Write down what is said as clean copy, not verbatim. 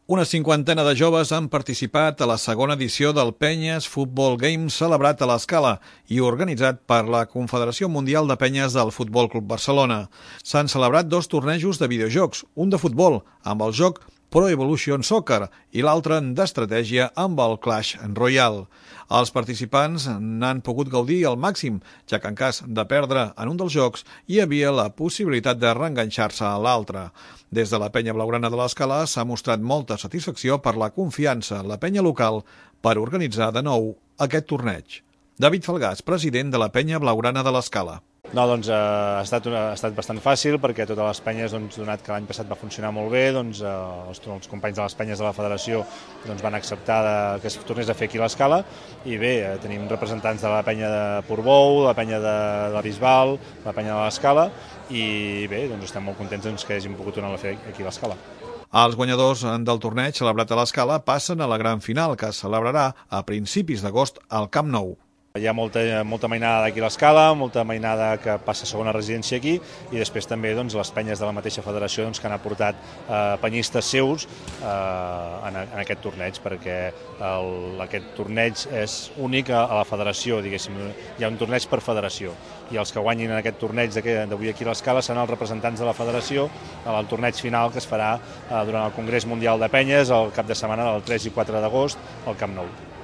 Una cinquantena de joves han participat a la segona edició del Penyes Football Games celebrat a l'Escala i organitzat per la Confederació Mundial de Penyes del Futbol Club Barcelona. S'han celebrat dos tornejos de videojocs, un de futbol amb el joc Pro Evolution Soccer i l'altre d'estratègia amb el Clash Royale. Els participants n'han pogut gaudir al màxim, ja que en cas de perdre en un dels jocs hi havia la possibilitat de reenganxar-se a l'altre. Des de la penya blaugrana de l'Escala s'ha mostrat molta satisfacció per la confiança en la penya local per organitzar de nou aquest torneig. David Falgàs, president de la penya blaugrana de l'Escala. No, doncs ha estat bastant fàcil perquè totes les penyes, donat que l'any passat va funcionar molt bé, els companys de les penyes de la federació van acceptar que es tornés a fer aquí a l'Escala i bé, tenim representants de la penya de Portbou, la penya de la Bisbal, la penya de l'Escala i bé, estem molt contents que hàgim pogut tornar a fer aquí a l'Escala. Els guanyadors del torneig celebrat a l'Escala passen a la gran final que es celebrarà a principis d'agost al Camp Nou. Hi ha molta mainada d'aquí a l'Escala, molta mainada que passa segona residència aquí i després també les penyes de la mateixa federació que han aportat penyistes seus en aquest torneig perquè aquest torneig és únic a la federació, diguéssim. Hi ha un torneig per federació i els que guanyin en aquest torneig d'avui aquí a l'Escala seran els representants de la federació al torneig final que es farà durant el Congrés Mundial de Penyes el cap de setmana del 3 i 4 d'agost al Camp Nou.